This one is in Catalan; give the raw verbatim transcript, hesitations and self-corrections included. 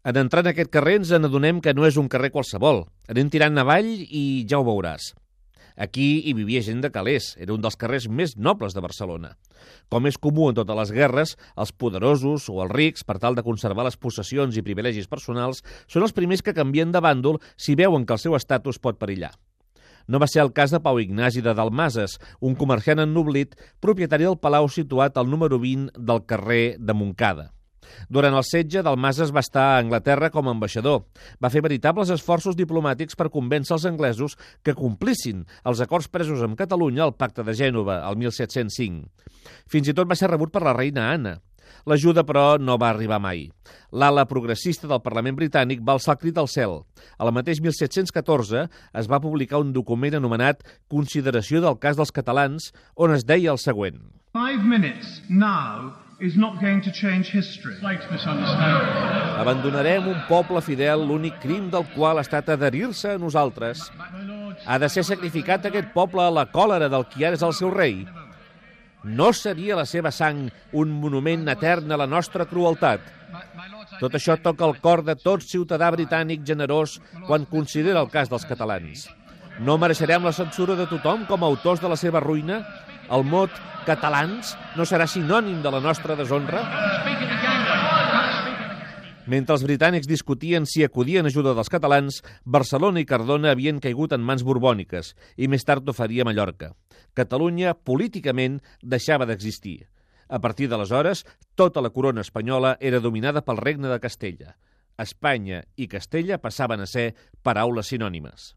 En entrar en aquest carrer ens n'adonem que no és un carrer qualsevol. Anem tirant avall i ja ho veuràs. Aquí hi vivia gent de calés, era un dels carrers més nobles de Barcelona. Com és comú en totes les guerres, els poderosos o els rics, per tal de conservar les possessions i privilegis personals, són els primers que canvien de bàndol si veuen que el seu estatus pot perillar. No va ser el cas de Pau Ignasi de Dalmases, un comerciant ennoblit, propietari del palau situat al número vint del carrer de Montcada. Durant el setge, Dalmases va estar a Anglaterra com a ambaixador. Va fer veritables esforços diplomàtics per convèncer els anglesos que complissin els acords presos amb Catalunya al Pacte de Gènova, el mil set-cents cinc. Fins i tot va ser rebut per la reina Anna. L'ajuda, però, no va arribar mai. L'ala progressista del Parlament britànic va alçar el crit al cel. Al mateix mil set-cents catorze es va publicar un document anomenat Consideració del cas dels catalans, on es deia el següent. Five minutes now is not going to change history. Abandonarem un poble fidel, l'únic crim del qual ha estat adherir-se a nosaltres. Ha de ser sacrificat aquest poble a la còlera del qui ara és el seu rei. No seria la seva sang un monument etern a la nostra crueltat. Tot això toca el cor de tot ciutadà britànic generós quan considera el cas dels catalans. No mereixerem la censura de tothom com a autors de la seva ruïna? El mot catalans no serà sinònim de la nostra deshonra? Mentre els britànics discutien si acudien a ajuda dels catalans, Barcelona i Cardona havien caigut en mans borbòniques i més tard ho faria Mallorca. Catalunya, políticament, deixava d'existir. A partir d'aleshores, tota la corona espanyola era dominada pel regne de Castella. Espanya i Castella passaven a ser paraules sinònimes.